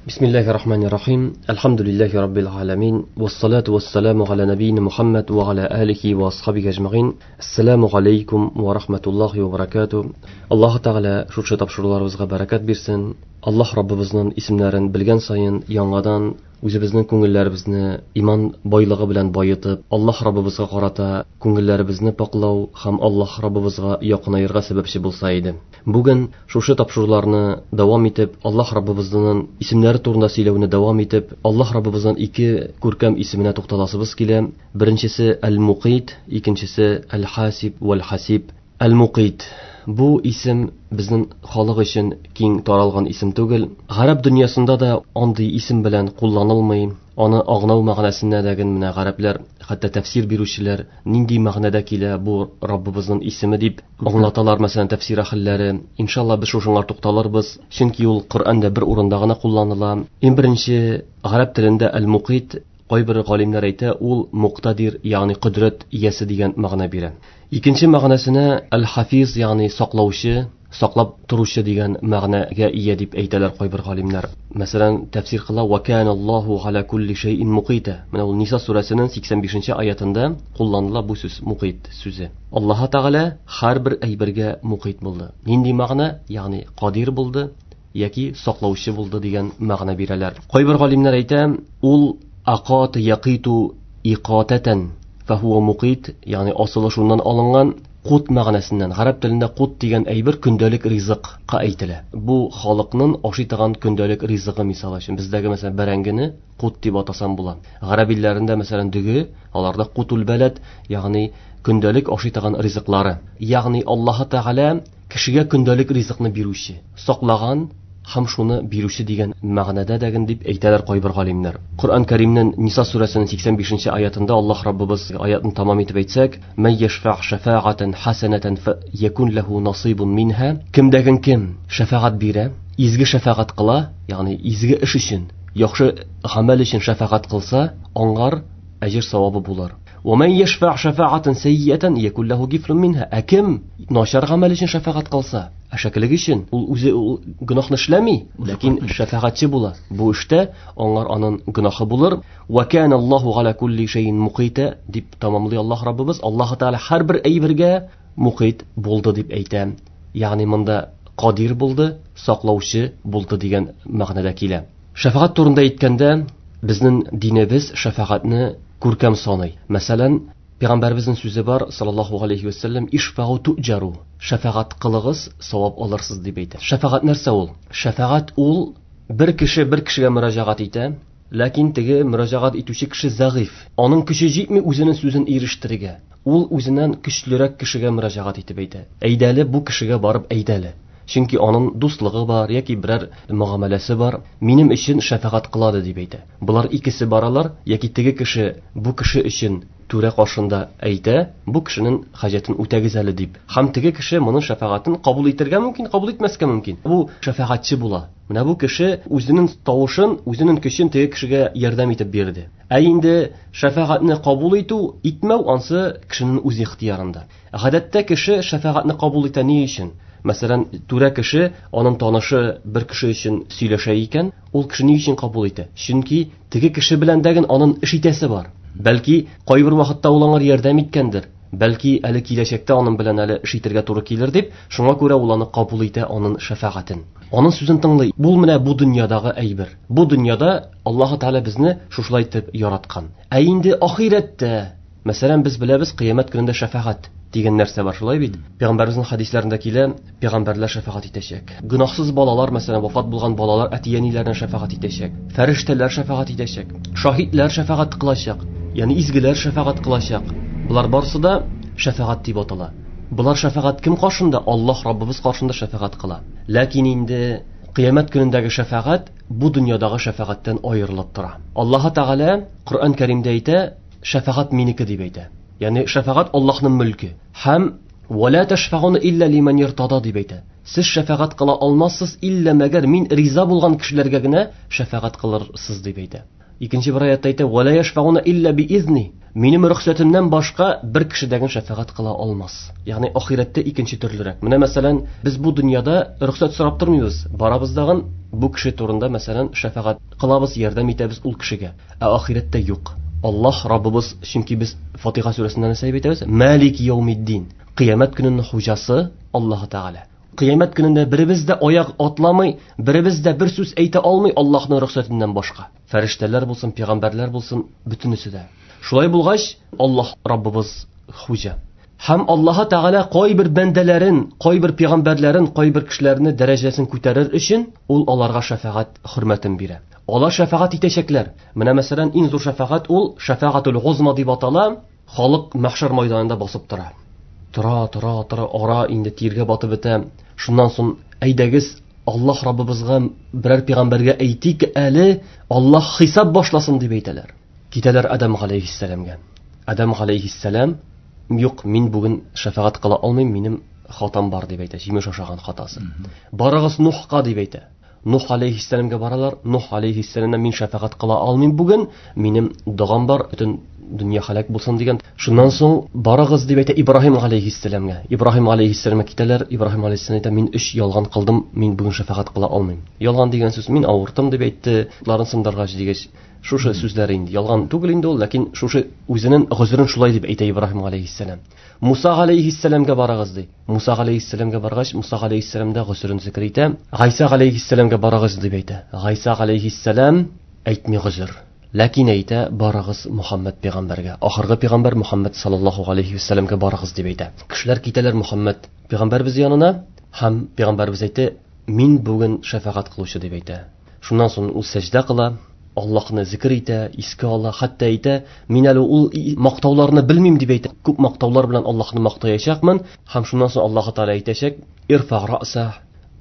Бисмиллахи рахмани рахим. Әлхәмдүлилләһи раббил аламин. Вассалату вассаламу аля набийна Мухаммад ва аля алихи ва асхабихи ажмаин. Ассаламу алейкум ва рахматуллахи ва баракату. Аллаһ Тәгалә шушы тапшыруларыбызга бәрәкәт бирсен. Аллаһ Раббыбызның исемнәрен белгән саен яңадан үзебезнең күңелләребезне иман байлыгы белән байытып, Аллаһ Раббыбызга карата күңелләребезне паклау һәм Аллаһ Раббыбызга якынаерга сәбәпче булса иде. Бүген шушы тапшыруларны дәвам итеп, Аллаһ Раббыбызның исемнәре турында сөйләүне дәвам итеп, Аллаһ Раббыбызның ике күркәм исеменә тукталасыбыз килә. Беренчесе Әл-Мукыйт, икенчесе Әл-Хасиб вәл-Хасиб. Әл-Мукыйт. Бу исем безнең халык өчен киң таралган исем түгел. Гарәп дөньясында да андый исем белән кулланылмый. Аны аңлау мәгънәсенә дә менә гарәпләр, хәтта тәфсир бирүчеләр нинди мәгънәдә килә бу Раббыбызның исеме дип аңлаталар, мәсәлән, тәфсир әһелләре. Иншалла без шушыңа тукталырбыз, чөнки ул Коръәндә бер урында гына кулланыла. Иң беренче гарәп телендә Әл-Мукыйт, кайбер галимнәр әйтә, ул муктадир, ягъни кодрәт иясе дигән мәгънә бирә. Икенче мәгънәсенә Әл-Хафиз, ягъни саклаучы, саклап торучы дигән мәгънәгә ия дип әйтәләр кайбер галимнәр. Мәсәлән, тәфсир кыла ва кана Аллаһу аля кулли шәйин мукыйта. Менә ул Ниса сүрәсенең 85нче аятында кулланыла бу сүз, мукыйт сүзе. Аллаһ Тәгалә һәрбер әйбергә мукыйт булды. Нинди мәгънә? Ягъни кадир булды яки саклаучы булды дигән мәгънә бирәләр. Кайбер галимнәр әйтә, ул акат якиту иқататан фахуа мукыйт, ягъни асылы шуннан алынган кут мәгънәсеннән. Гарәп телендә кут дигән әйбер көндәлек ризыкка әйтелә. Бу халыкның ашый торган көндәлек ризыгы, мисал өчен. Бездәге мәсәлән бәрәңгене кут дип атасам була. Гарәп илләрендә мәсәлән дөге, аларда кутул балад, ягъни көндәлек ашый торган ризыклары. Ягъни Аллаһ Тәгалә кешегә көндәлек ризыкны бирүче, саклаган һәм шуны бирүче дигән мәгънәдә дәген дип әйтәләр кайбер галимнәр. Коръән Кәримнең Ниса сүрәсенең 85нче аятында Аллаһ Раббыбыз аятын тамам итеп әйтсәк, Мән яшфа шафаатан хасанатан фаякун лаху насибун минха. Кемдәген кем шәфәгать бирә, изге шәфәгать кыла, ягъни изге эш өчен, яхшы гамәл өчен шәфәгать кылса, аңар әҗер савабы булыр. Ва ман яшфа шафаатан сайyiатан якун лаху кифлун минха. Ә кем начар гамәл өчен шәфәгать кылса, әшәкелек өчен, ул үзе ул гөнаһны эшләми, ләкин шәфәгатьче була. Бу эштә аңар анын гөнаһы булыр. Ва кана Аллаһу аля кулли шәйин мукыйта дип тамамлый Аллаһ Раббыбыз. Аллаһ Тәгалә һәрбер әйбергә мукыйт булды дип әйтә. Ягъни монда кадир булды, саклаучы булды дигән мәгънәдә килә. Шәфәгать турында әйткәндә, безнең динебез шәфәгатьне күркәм саный. Мәсәлән, Пәйгамбәребезнең сүзе бар, саллаллаһу алейхи ва саллям, ишфагу туҗару, шәфәгать кылыгыз, савап алырсыз дип әйтә. Шәфәгать нәрсә ул? Шәфәгать ул бер кеше бер кешегә мөрәҗәгать итә, ләкин теге мөрәҗәгать итүче кеше зәгыйф. Аның көче җитми үзенең сүзен ирештерергә. Ул үзеннән көчлерәк кешегә мөрәҗәгать итеп әйтә. Әйдәле бу кешегә барып әйдәле. Чөнки аның дуслыгы бар яки берәр мөгамәләсе бар. Минем өчен шәфәгать кылады дип әйтә. Болар икесе баралар, яки теге кеше бу кеше өчен түрә каршында әйтә, бу кешенең хаҗәтен үтәгез әле дип. Һәм теге кеше моның шәфәгатен кабул итәргә мөмкин, кабул итмәскә мөмкин. Бу шәфәгатьче була. Менә бу кеше үзенең тавышын, үзенең көчен теге кешегә ярдәм итеп бирде. Ә инде шәфәгатьне кабул итү, итмәү ансы кешенең үз ихтыярында. Гадәттә кеше шәфәгатьне кабул итә ни өчен? Мәсәлән, түрә кеше, аның танышы бер кеше өчен сөйләшә икән, ул кеше ни өчен кабул итә? Чөнки теге кеше белән дәген аның эш итәсе бар. Бәлки, кайбер вакытта ул аңар ярдәм иткәндер. Бәлки, әле киләчәктә аның белән әле эш итәргә туры килер дип, шуңа күрә ул аны кабул итә, аның шәфәгатен. Аның сүзен тыңлый. Бу менә бу дөньядагы әйбер. Бу дөньяда Аллаһ Тәгалә безне шушылай итеп яраткан. Ә инде ахирәттә, мәсәлән, без беләбез, кыямәт көнендә шәфәгать дигән нәрсә бар, шулай бит? Пәйгамбәребезнең хәдисләрендә килә, пәйгамбәрләр шәфәгать итәчәк. Гөнаһсыз балалар, мәсәлән, вафат булган балалар әти-әниләренә шәфәгать итәчәк. Фәрештәләр шәфәгать итәчәк. Шаһитләр шәфәгать кылачак. Ягъни изгеләр шәфәгать кылачак. Болар барысы да шәфәгать дип атала. Болар шәфәгать кем каршында? Аллаһ Раббыбыз каршында шәфәгать кыла. Ләкин инде кыямәт көнендәге шәфәгать бу дөньядагы шәфәгатьтән аерылып тора. Аллаһ Тәгалә Коръән Кәримдә әйтә, шәфәгать минеке дип әйтә. Ягъни шәфәгать Аллаһның мөлке. Һәм ва ла ташфаун илля лиман иртада дип әйтә. Сез шәфәгать кыла алмассыз илля мәгәр мин риза булган кешеләргә генә шәфәгать кылырсыз дип әйтә. Икенче бер аятта әйтә, ва ла яшфаун илля биизни. Минем рөхсәтемнән башка бер кеше дә шәфәгать кыла алмас. Ягъни ахирәттә икенче төрлерәк. Менә мәсәлән, без бу дөньяда рөхсәт сорап тормыйбыз. Барабыз дагын бу кеше турында мәсәлән шәфәгать кылабыз, ярдәм итәбез ул кешегә. Ә ахирәттә юк. Аллаһ Раббыбыз, чөнки без Фатиха сүрәсендә нәрсә дип әйтәбез? Малик яумиддин. Кыямәт көненең хуҗасы Аллаһ Тәгалә. Кыямәт көнендә беребез дә аяк атламый, беребез дә бер сүз әйтә алмый Аллаһның рөхсәтеннән башка. Фәрештәләр булсын, пәйгамбәрләр булсын, бөтенесе дә. Шулай булгач, Аллаһ Раббыбыз хуҗа. Һәм Аллаһ Тәгалә кайбер бәндәләрен, кайбер пәйгамбәрләрен, кайбер кешеләрне дәрәҗәсен күтәрер өчен ул аларга шәфәгать хөрмәтен бирә. Алар шәфәгать итәчәкләр. Менә мәсәлән, иң зур шәфәгать ул шәфәгатул гузма дип атала. Халык мәхшәр майданында басып тора. Тора, тора, тора, ара инде тиргә батып бетә. Шуннан соң әйдәгез Аллаһ Раббыбызга берәр пәйгамбәргә әйтик әле, Аллаһ хисап башласын дип әйтәләр. Китәләр Адам галәйһиссәламгә. Адам галәйһиссәлам, юк, мин бүген шәфәгать кыла алмыйм, минем хатам бар дип әйтә, җимеш ашаган хатасы. Барыгыз Нухка дип әйтә. Нух алейхиссәламгә баралар. Нух алейхиссәламнән мин шәфәгать кыла алмыйм бүген, минем догам бар, бөтен дөнья һәлак булсын дигән. Шуннан соң барыгыз дип әйтә Ибраһим алейхиссәламгә. Ибраһим алейхиссәламгә китәләр. Ибраһим алейхиссәлам әйтә, мин өч ялган кылдым, мин бүген шәфәгать кыла алмыйм. Ялган дигән сүз, мин авыртым дип әйтте, ларын сындыргач дигәч, шушы сүзләр инде ялган түгел инде ул, ләкин шушы үзенең гозерен шулай дип әйтә Ибраһим алейхиссәлам. Муса галәйһиссәламгә барыгыз ди. Муса галәйһиссәламгә баргач, Муса галәйһиссәлам да гозерен зикер итә. Гайса галәйһиссәламгә барыгыз дип әйтә. Гайса галәйһиссәлам әйтми гозер. Ләкин әйтә, барыгыз Мухаммад пәйгамбәргә. Ахыргы пәйгамбәр Мухаммад саллаллаһу галәйһи вәсәлләмгә барыгыз дип әйтә. Кешеләр китәләр Мухаммад пәйгамбәрбез янына һәм пәйгамбәрбез әйтә, мин бүген шәфәгать кылучы дип әйтә. Шуннан соң ул сәҗдә кыла, Аллаһны зикер итә, искә ала, хәтта әйтә, мин әле ул мактауларны белмим дип әйтә. Күп мактаулар белән Аллаһны мактаячакмын һәм шуннан соң Аллаһ Тәгалә әйтәчәк, ирфа раса,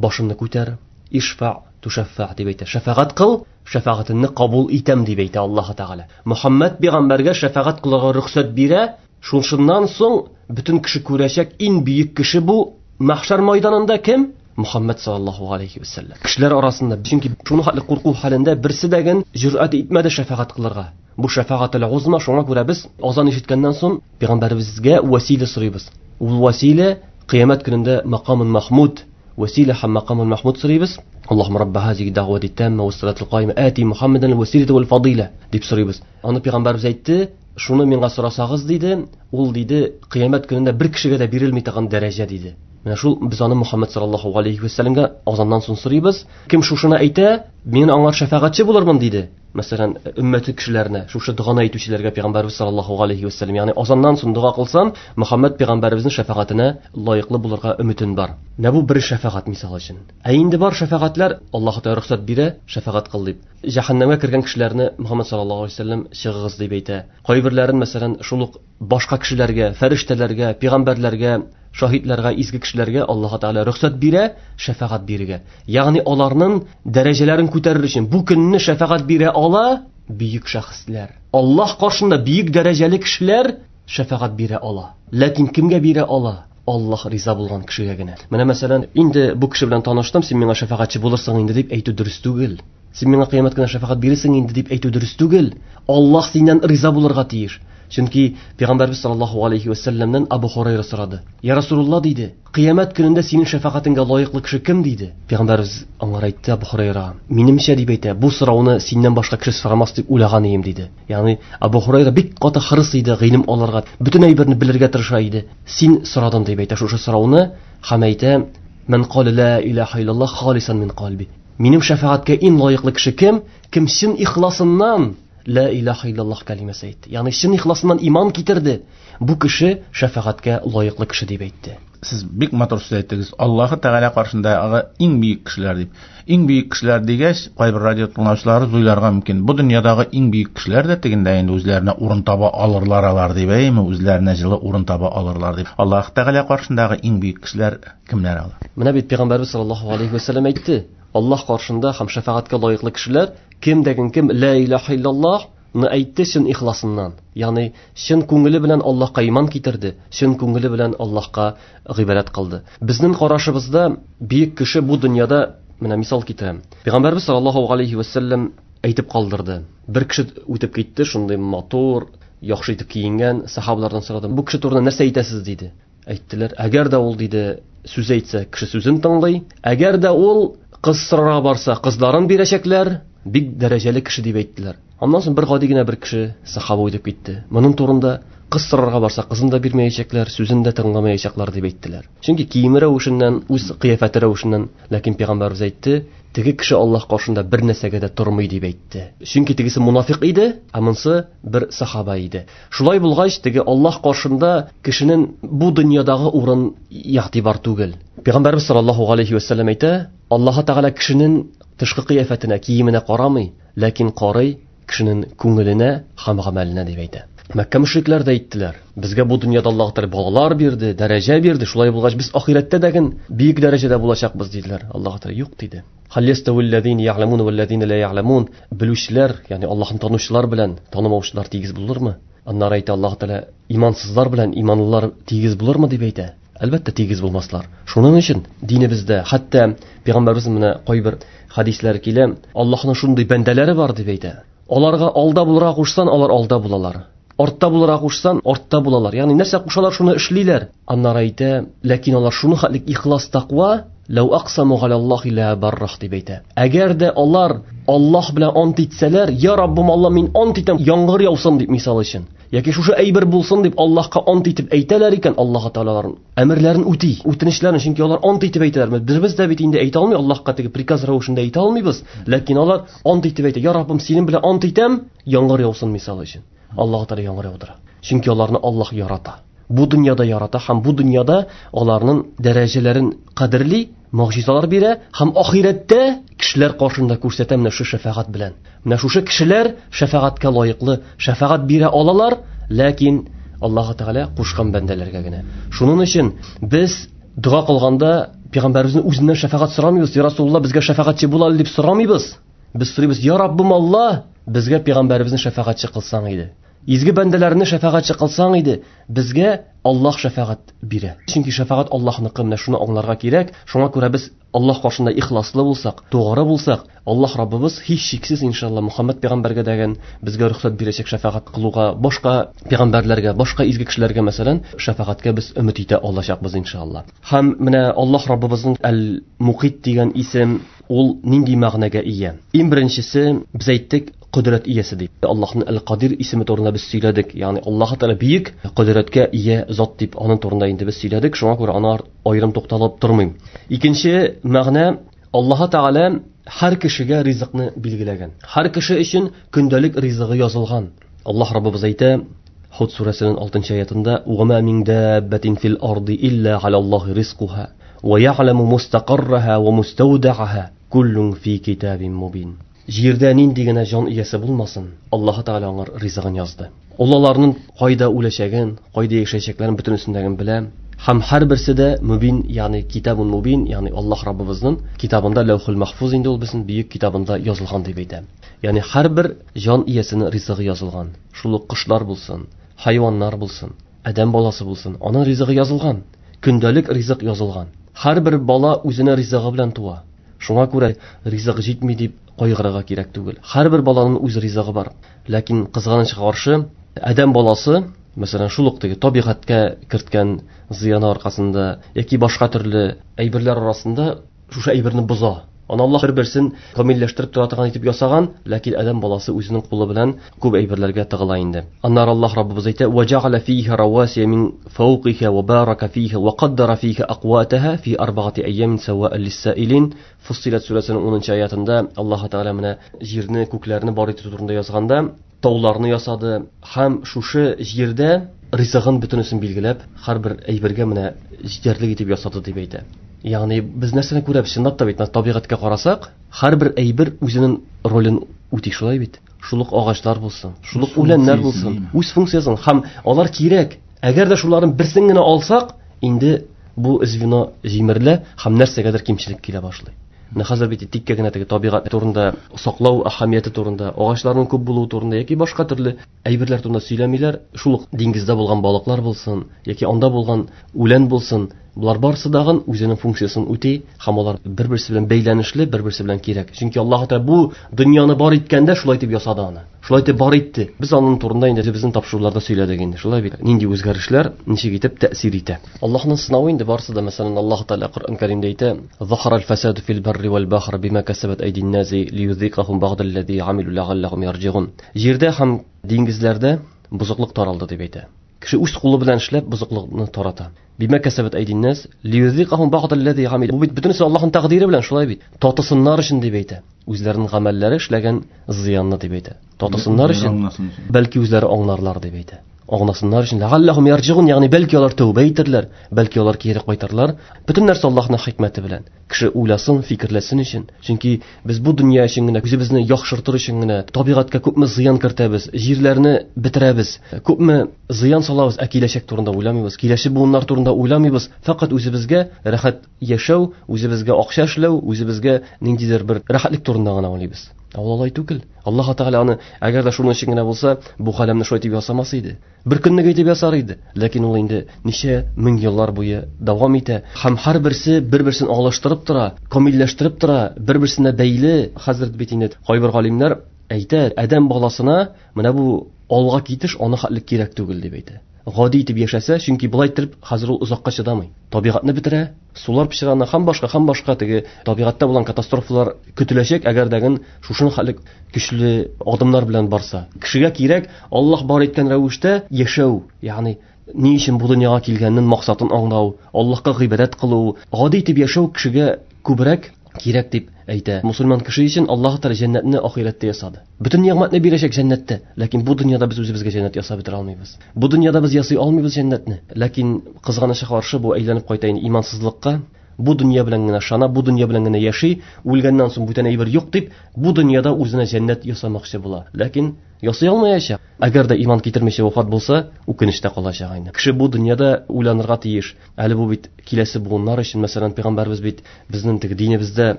башыңны күтәр, ишфа тушаффа дип әйтә. Шәфәгать кыл, шәфәгатеңне кабул итәм дип әйтә Аллаһ Тәгалә. Мөхәммәд пәйгамбәргә шәфәгать кылырга рөхсәт бирә. Шуннан соң бөтен кеше күрәчәк, иң бөек кеше бу мәхшәр майданында кем? Мухаммад саллаллаху алейхи вәсәлләм. Кешеләр арасында, чөнки шуны хәтле курку хәлендә берсе дә ген җөрьәт итмәде шәфәгать кылырга. Бу шәфәгател узма, шуңа күрә без азан ишеткәннән соң пәйгамбәребезгә вәсилә сорыйбыз. Ул вәсилә кыямәт көнендә макамын махмуд, вәсилә һәм макамын махмуд сорыйбыз. Аллаһумма рабба һазиһи дәгъвати тамма ва салатул каима ати Мухаммадан василата вал фадила дип сорыйбыз. Аны пәйгамбәребез әйтте, шуны миңа сорасагыз диде, ул диде, кыямәт көнендә бер кешегә дә бирелми торган дәрәҗә диде. Менә шул без аны Мухаммад саллаллаху алейхи ва сәлләмгә азаннан соң сорыйбыз. Кем шушыны әйтә, мин аңар шәфәгатьче булырмын диде. Мәсәлән, өммәте кешеләренә, шушы доганы әйтүчеләргә пәйгамбәрбез саллаллаху алейхи ва сәлләм, ягъни азаннан соң дога кылсам, Мухаммад пәйгамбәребезнең шәфәгатенә лаеклы булырга өметем бар. Менә бу бер шәфәгать мисал өчен. Ә инде бар шәфәгатьләр, Аллаһ Тәгалә рөхсәт бирә, шәфәгать кыл дип. Җәһәннәмгә кергән кешеләрне Мухаммад саллаллаху алейхи ва сәлләм чыгыгыз дип әйтә. Кайберләрен, мәсәлән, шул ук башка кешеләргә, фәрештәләргә, пәйгамбәрләргә, шаһитләргә, изге кешеләргә Аллаһ Тәгалә рөхсәт бирә шәфәгать бирергә. Ягъни аларның дәрәҗәләрен күтәрер өчен бу көнне шәфәгать бирә ала бөек шәхесләр. Аллаһ каршында бөек дәрәҗәле кешеләр шәфәгать бирә ала. Ләкин кемгә бирә ала? Аллаһ риза булган кешегә генә. Менә мәсәлән, инде бу кеше белән таныштым, син миңа шәфәгатьче булырсың инде дип әйтү дөрес түгел. Син миңа кыямәт көнендә шәфәгать бирерсең инде дип әйтү дөрес түгел. Аллаһ синнән риза булырга тиеш. Чөнки Пәйгамбәрбез саллаллаху алейхи ва сәлләмнән Абу Хурайра сорады. Я Расулулла диде, кыямәт көнендә синең шәфәгатеңгә лаеклы кеше кем диде? Пәйгамбәрбез аңар әйтте, Абу Хурайра, минемчә дип әйтә, бу сорауны синнән башка кеше сорамас дип уйлаган идем диде. Ягъни Абу Хурайра бик каты хырыс иде гыйлем алырга, бөтен әйберне белергә тырыша иде. Син сорадың дип әйтә шушы сорауны һәм әйтә, Ман кала ла илаһа иллаллах халисан мин калби. Минем шәфәгатькә иң лаеклы кеше кем? Кем чын ихласыннан ла илаһа иллаллах кәлимәсе әйтте. Ягъни чын ихласыннан иман китерде. Бу кеше шәфәгатькә лаеклы кеше дип әйтте. Сез бик матур сүз әйттегез. Аллаһы Тәгалә каршындагы иң бөек кешеләр дип. Иң бөек кешеләр дигәч, кайбер радио тыңлаучылары уйларга мөмкин. Бу дөньядагы иң бөек кешеләр дә тегендә инде үзләренә урын таба алырлар алар дип, әйеме, үзләренә җылы урын таба алырлар дип. Аллаһы Тәгалә каршындагы иң бөек кешеләр кемнәр алар? Менә бит Пәйгамбәрбез саллаллаһу алейхи ва сәлләм әйтте. Аллаһ каршында һәм шәфәгатькә лаеклы кешеләр кем дәген кем ла илаһа иллаллаһ ны әйтте чын ихласыннан. Ягъни чын күңеле белән Аллаһка иман китерде, чын күңеле белән Аллаһка гыйбадәт кылды. Безнең карашыбызда бөек кеше бу дөньяда, менә мисал китерәм. Пәйгамбәрбез саллаллаһу алейхи ва сәлләм әйтеп калдырды. Бер кеше үтеп китте, шундый матур, яхшы итеп киенгән сахабалардан сорады. Бу кеше турында нәрсә әйтәсез диде. Әйттеләр, әгәр дә ул диде сүз әйтсә, кеше сүзен тыңлый. Әгәр дә ул кыз сорарга барса, кызларын бирәчәкләр, бик дәрәҗәле кеше дип әйттеләр. Аннан соң бер гади генә бер кеше сахаба үтеп китте. Моның турында кыз сорарга барса, кызын да бирмәячәкләр, сүзен дә тыңламаячаклар дип әйттеләр. Чөнки киеме рәвешеннән, үз кыяфәте рәвешеннән, ләкин пәйгамбәрбез әйтте, теге кеше Аллаһ каршында бер нәрсәгә дә тормый дип әйтте. Чөнки тегесе мунафик иде, ә монысы бер сахаба иде. Шулай булгач, теге Аллаһ каршында кешенең бу дөньядагы урын игътибар түгел. Пәйгамбәрбез саллаллаһу алейхи вәсәлләм әйтә, Аллаһ Тәгалә кешенең тышкы кыяфәтенә, киеменә карамый, ләкин карый кешенең күңеленә һәм гамәленә дип әйтә. Мәккә мөшрикләр дә әйттеләр, безгә бу дөньяда Аллаһ Тәгалә балалар бирде, дәрәҗә бирде, шулай булгач без ахирәттә дә бөек дәрәҗәдә булачакбыз диделәр. Аллаһ Тәгалә юк диде. Хал яставиллазина я'ламун валлазина ла я'ламун. Белүчеләр, ягъни Аллаһны танучылар белән танымаучылар тигез булырмы? Аннары әйтә Аллаһ Тәгалә, имансызлар белән иманлылар тигез булырмы дип әйтә. Әлбәттә тигез булмаслар. Шуның өчен динебездә, хәтта пәйгамбәребез менә кайбер хадисләр килә, Аллаһның шундый бәндәләре бар дип әйтә. Аларга алда булырга кушсан, алар алда булалар. Артта булырга кушсан, артта булалар. Ягъни нәрсә кушалар, шуны эшлиләр. Аннары әйтә, ләкин алар шуны хәтлек ихлас тәкъва, ләү аксаму галаллахи ла баррах дип әйтә. Әгәр дә алар Аллаһ белән ант итсәләр, я Раббым Алла, мин ант итәм, яңгыр яусын дип мисал өчен, яки шушы әйбер булсын дип Аллаһка ант итеп әйтәләр икән, Аллаһ Тәгалә аларның әмерләрен үти, үтенечләрен, чөнки алар ант итеп әйтәләр. Без дә бит инде әйтә алмый, Аллаһка теге приказ рәвешендә әйтә алмыйбыз, ләкин алар ант итеп әйтә, я Раббым, синең белән ант итәм, яңгыр яусын мисал өчен. Аллаһ Тәгалә яңгыр яудыра. Чөнки аларны Аллаһ ярата. Бу дөньяда ярата һәм бу дөньяда аларның дәрәҗәләрен кадерли, могҗизалар бирә һәм ахирәттә кешеләр каршында күрсәтә менә шушы шәфәгать белән. Менә шушы кешеләр шәфәгатькә лаеклы, шәфәгать бирә алалар, ләкин Аллаһ Тәгалә кушкан бәндәләргә генә. Шуның өчен без дога кылганда пәйгамбәребезнең үзеннән шәфәгать сорамыйбыз. Я Расулулла, безгә шәфәгатьче бул әле дип сорамыйбыз. Без сорыйбыз, я Раббым Алла, безгә пәйгамбәребезне шәфәгатьче кылсаң иде. Изге бәндәләрне шәфәгатьче кылсаң иде, безгә Аллаһ шәфәгать бирә. Чөнки шәфәгать Аллаһныкы, менә шуны аңларга кирәк. Шуңа күрә без Аллаһ каршында ихласлы булсак, тугры булсак, Аллаһ Раббыбыз һичшиксез иншалла Мухаммад пәйгамбәргә дәген безгә рөхсәт бирәчәк шәфәгать кылуга, башка пәйгамбәрләргә, башка изге кешеләргә мәсәлән, шәфәгатькә без өмет итә алачакбыз иншалла. Һәм менә Аллаһ Раббыбызның Әл-Мукит дигән исем ул нинди мәгънәгә ия? Иң беренчесе, без әйттек, кодрәт иясе дип. Аллаһның Әл-Кадир исеме турында без сөйләдек. Ягъни Аллаһ Тәгалә бөек кодрәткә ия зат дип аның турында инде без сөйләдек. Шуңа күрә аны аерым тукталып тормыйм. Икенче мәгънә, Аллаһ Тәгалә һәр кешегә ризыкны билгеләгән. Һәр кеше өчен көндәлек ризыгы язылган. Аллаһ Раббыбыз әйтә, Худ сүрәсенең 6 аятында: "Ва ма мин даббатин фил арди илля галаллаһи ризкуха ва я'ламу мустақарраха ва мустаудааха куллун фи китабин мубин." Җирдә нинди генә җан иясе булмасын, Аллаһ Тәгалә аңар ризыгын язды. Ул аларның кайда үләчәген, кайда яшәячәкләрен бөтенесен белә. Һәм һәрберсе дә мубин, ягъни китабун мубин, ягъни Аллаһ Раббыбызның китабында, Ләүхул Махфуз инде ул безнең бөек китабында язылган дип әйтә. Ягъни һәрбер җан иясенең ризыгы язылган. Шул ук кошлар булсын, хайваннар булсын, адәм баласы булсын, аның ризыгы язылган. Көндәлек ризык язылган. Һәрбер бала үзенең ризыгы белән туа. Шуңа күрә ризык җитми дип кайгырырга кирәк түгел. Һәрбер баланың үз ризыгы бар. Ләкин кызганычка каршы, адәм баласы, мәсәлән, шул ук теге табигатькә керткән зыяны аркасында яки башка төрле әйберләр арасында шушы әйберне боза. Аны Аллаһ бер-берсен камилләштереп тора торган итеп ясаган, ләкин адәм баласы үзенең кулы белән күп әйберләргә тыгыла инде. Аннары Аллаһ Раббыбыз әйтә: "Ва җәгъәлә фиһа равасия мин фawqiha ва барака фиһа ва каддара фиһа акватаһа фи арбаати айямин сава'ан лис-саилин." Фуссилат сүрәсенең 10 аятында Аллаһ Тәгалә менә җирне, күкләрне бар итү турында язганда, тауларны ясады һәм шушы җирдә ризыгын бөтенесен билгеләп, һәрбер әйбергә менә җитәрлек итеп ясады дип әйтә. Ягъни без нәрсәне күрәбез? Чынлап та бит, табигатькә карасак, һәрбер әйбер үзенең ролен үти, шулай бит. Шул ук агачлар булсын, шул ук үләннәр булсын, үз функциясын һәм алар кирәк. Әгәр дә шуларның берсен генә алсак, инде бу звено җимерелә һәм нәрсәгәдер кимчелек килә башлый. Менә хәзер бит тиккә генә теге табигать турында, саклау әһәмияте турында, агачларның күп булуы турында яки башка төрле әйберләр турында сөйләмиләр. Шул ук диңгездә булган балыклар булсын, яки анда булган үлән булсын, булар барысы дагын үзенең функциясын үти һәм алар бер-берсе белән бәйләнешле, бер-берсе белән кирәк. Чөнки Аллаһ Тәгалә бу дөньяны бар иткәндә шулай итеп ясады аны. Шулай итеп бар итте. Без аның турында инде безнең тапшыруларда сөйләдек инде. Шулай бит. Нинди үзгәрешләр ничек итеп тәэсир итә. Аллаһның сынавы инде барысы да, мәсәлән, Аллаһ Тәгалә Коръән Кәримдә әйтә: "Захара аль-фасаду фил барри вал бахри бима касабат айдин наси лиюзикахум бa'даллази амилу лa'аллахум ярҗигун." Җирдә һәм диңгезләрдә бозыклык таралды дип әйтә. Кеше үз кулы белән эшләп бозыклыкны тарата. Бима касабат айдин нас лиюзикахум бa'даллази амилу. Бу бит бөтенесе Аллаһның тәкъдире белән шулай бит. Татысыннар өчен дип әйтә. Үзләренең гамәлләре эшләгән зыянны дип әйтә. Татысыннар өчен, бәлки үзләре аңларлар дип әйтә. Аңласыннар өчен ләгалләһум ярҗигун, ягъни бәлки алар тәүбә итерләр, бәлки алар кире кайтарлар. Бөтен нәрсә Аллаһның хикмәте белән. Кеше уйласын, фикерләсен өчен. Чөнки без бу дөнья өчен генә, үзебезне яхшыртыр өчен генә табигатькә күпме зыян кертәбез, җирләрне бетерәбез, күпме зыян салабыз, ә киләчәк турында уйламыйбыз, киләчәк буыннар турында уйламыйбыз. Фәкать үзебезгә рәхәт яшәү, үзебезгә акча эшләү, үзебезгә ниндидер бер рәхәтлек турында гына уйлыйбыз. Ә ул алай түгел. Аллаһ Тәгалә аны, әгәр дә шуның өчен генә булса, бу галәмне шулай итеп ясамас иде. Бер көнлек итеп ясар иде. Ләкин ул инде ничә мең еллар буе дәвам итә. Һәм һәрберсе бер-берсен алыштырып тора, камилләштереп тора, бер-берсенә бәйле. Хәзер бит инде кайбер галимнәр әйтә, адәм баласына менә бу алга китеш аны хәтлек кирәк түгел дип әйтә. Гади итеп яшәсә, чөнки болай итеп хәзер ул озакка чыдамый. Табигатьне бетерә, сулар пычрана һәм башка, һәм башка теге табигатьтә булган катастрофалар көтеләчәк, әгәр дә шушының хәтлек көчле адымнар белән барса. Кешегә кирәк Аллаһ бар иткән рәвештә яшәү, ягъни ни өчен бу дөньяга килгәнен максатын аңлау, Аллаһка гыйбадәт кылу, гади итеп яшәү кешегә күбрәк кирәк дип әйтә. Мусульман кеше өчен Аллаһ Тәгалә җәннәтне ахирәттә ясады. Бөтен нигъмәтне бирәчәк җәннәттә, ләкин бу дөньяда без үзебезгә җәннәт ясап бетерә алмыйбыз. Бу дөньяда без ясый алмыйбыз җәннәтне. Ләкин кызганычка каршы бу әйләнеп кайта инде имансызлыкка. Бу дөнья белән генә шана, бу дөнья белән генә яши, үлгәннән соң бүтән әйбер юк дип, бу дөньяда үзенә җәннәт ясамакчы була. Ләкин ясый алмаячак. Әгәр дә иман китермичә вафат булса, үкенечтә калачак инде. Кеше бу дөньяда уйланырга тиеш. Әле бу бит киләсе буыннар өчен, мәсәлән, пәйгамбәрбез бит безнең теге динебездә,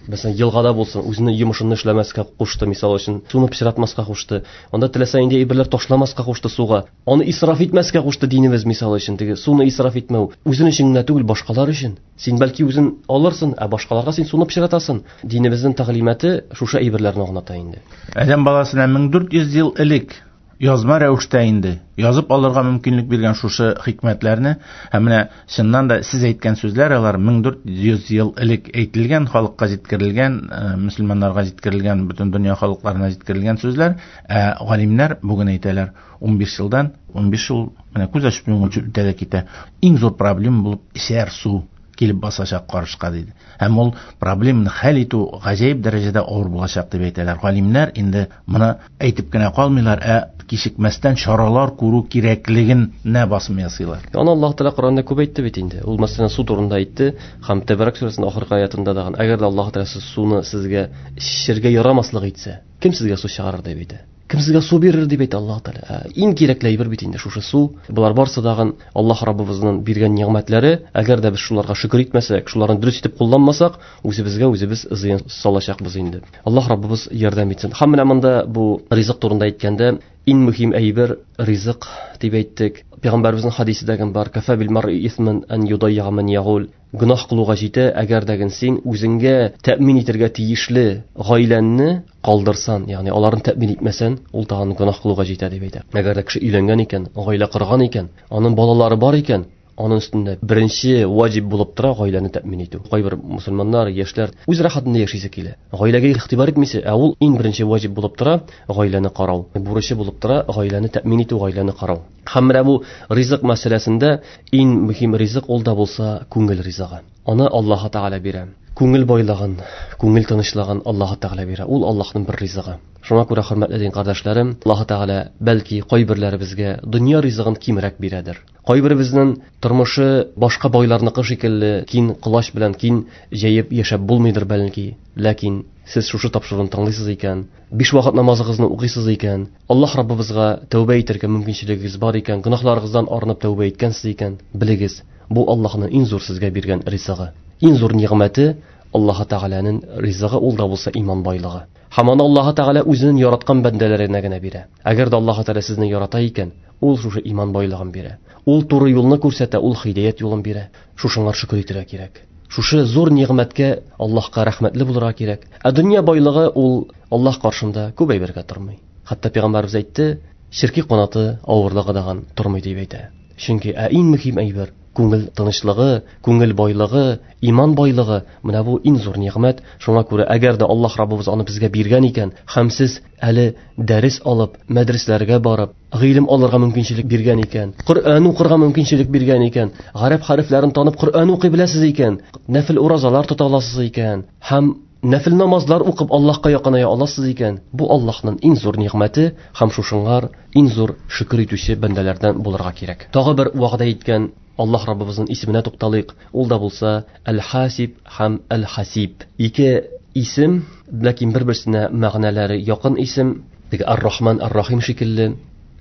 мәсәлән, елгада булсын, үзенең йомышын эшләмәскә кушты, мисал өчен, суны пычратмаска кушты. Анда теләсә нинди әйберләр ташламаска кушты суга. Аны исраф итмәскә кушты динебез, мисал өчен, теге суны исраф итмәү. Үзен өчен генә түгел, башкалар өчен. Син бәлки үзен алырсың, ә башкаларга син суны пычратасың. Динебезнең тәгълиматы шушы әйберләрне аңлата инде. Адәм баласына 1400 ел элек язма рәвештә инде язып алырга мөмкинлек биргән шушы хикмәтләрне, һәм менә чыннан да сез әйткән сүзләр алар 1400 ел элек әйтелгән, халыкка җиткерелгән, мөселманнарга җиткерелгән, бөтен дөнья халыкларына җиткерелгән сүзләр. Ә галимнәр бүген әйтәләр, 15 елдан, 15 ел менә күз ачып йомганчы үтә дә китә. Иң зур проблема булып эчәр су килеп басачак карышка диде. Һәм ул проблеманы хәл итү гаҗәеп дәрәҗәдә авыр булачак дип әйтәләр. Галимнәр инде моны әйтеп кенә калмыйлар, ә кичекмәстән чаралар күрү кирәклегенә басым ясыйлар. Аны Аллаһ Тәгалә Коръәндә күп әйтте бит инде. Ул мәсәлән су турында әйтте һәм Тәбәрәк сүрәсенең ахыргы аятында да, әгәр дә Аллаһ Тәгалә суны сезгә эчәргә ярамаслык итсә, кем сезгә су чыгарыр дип әйтә. Кем сезгә су бирер дип әйтә Аллаһ Тәгалә. Иң кирәкле әйбер бит инде шушы су. Болар барсы дагын Аллаһ Раббыбызның биргән нигъмәтләре. Әгәр дә без шуларга шөкер итмәсәк, шуларны дөрес итеп кулланмасак, үзебезгә үзебез зыян салачакбыз инде. Аллаһ Раббыбыз ярдәм итсен. Һәм менә монда бу ризык турында әйткәндә, иң мөһим әйбер ризык дип әйттек. Пәйгамбәребезнең хадисе дә бар: "Кафа бил мар'i исман ан юдайя ман ягул." Гөнаһ кылуга җитә, әгәр дә син үзеңгә тәэмин итәргә тиешле гаиләңне калдырсан, ягъни аларны тәэмин итмәсән, ул тагын гөнаһ кылуга җитә дип әйтә. Әгәр дә кеше өйләнгән икән, гаилә корган икән, аның балалары бар икән, аның өстендә беренче ваҗиб булып тора гаиләне тәэмин итү. Кайбер мусульманнар, яшьләр үз рәхәтендә яшисе килә. Гаиләгә игътибар итмисе, ә ул иң беренче ваҗиб булып тора гаиләне карау. Бурычы булып тора гаиләне тәэмин итү, гаиләне карау. Һәм менә бу ризык мәсьәләсендә иң мөһим ризык ул да булса күңел ризыгы. Аны Аллаһ Тәгалә бирә. Күңел байлыгын, күңел тынычлыгын Аллаһ Тәгалә бирә. Ул Аллаһның бер ризыгы. Шуңа күрә, хөрмәтле дин кардәшләрем, Аллаһ Тәгалә бәлки кайберләребезгә дөнья ризыгын кимрәк бирәдер. Кайберебезнең тормышы башка байларныкы шикелле киң колач белән киң җәеп яшәп булмыйдыр бәлки. Ләкин сез шушы тапшыруны тыңлыйсыз икән, 5 вакыт намазыгызны укыйсыз икән, Аллаһ Раббыбызга тәүбә итәргә мөмкинчелегегез бар икән, гөнаһларыгыздан арынып тәүбә иткәнсез икән, белегез, бу Аллаһның иң зур сезгә биргән ризыгы. Иң зур нигъмәте Аллаһ Тәгаләнең ризыгы, ул да булса иман байлыгы. Һәм аны Аллаһ Тәгалә үзенең яраткан бәндәләренә генә бирә. Әгәр дә Аллаһ Тәгалә сезне ярата икән, ул шушы иман байлыгын бирә. Ул туры юлны күрсәтә, ул һидаят юлын бирә. Шушыңа шөкер итәргә кирәк. Шушы зур нигъмәткә Аллаһка рәхмәтле булырга кирәк. Ә дөнья байлыгы ул Аллаһ каршында күп әйбергә тормый. Хәтта пәйгамбәребез әйтте, черки канаты авырлыгы даган тормый дип әйтә. Чөнки иң мөһим әйбер күңел тынычлыгы, күңел байлыгы, иман байлыгы, менә бу иң зур нигъмәт. Шуңа күрә әгәр дә Аллаһ Раббыбыз аны безгә биргән икән, һәм сез әле дәрес алып, мәдрәсәләргә барып, гыйлем алырга мөмкинчелек биргән икән, Коръән укырга мөмкинчелек биргән икән, гарәп хәрефләрен танып Коръән укый беләсез икән, нәфил уразалар тота аласыз икән, һәм нәфил намазлар укып Аллаһка якыная аласыз икән, бу Аллаһның иң зур нигъмәте һәм шушыңар иң зур шөкер итүче бәндәләрдән булырга кирәк. Тагы бер вәгъдә иткән Аллаһ Раббыбызның исеменә тукталыйк. Ул да булса Әл-Хасиб һәм Әл-Хасиб. Ике исем, ләкин бер-берсенә мәгънәләре якын исем. Теге Ар-Рахман, Ар-Рахим шикелле.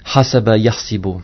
Хасаба яхсибу.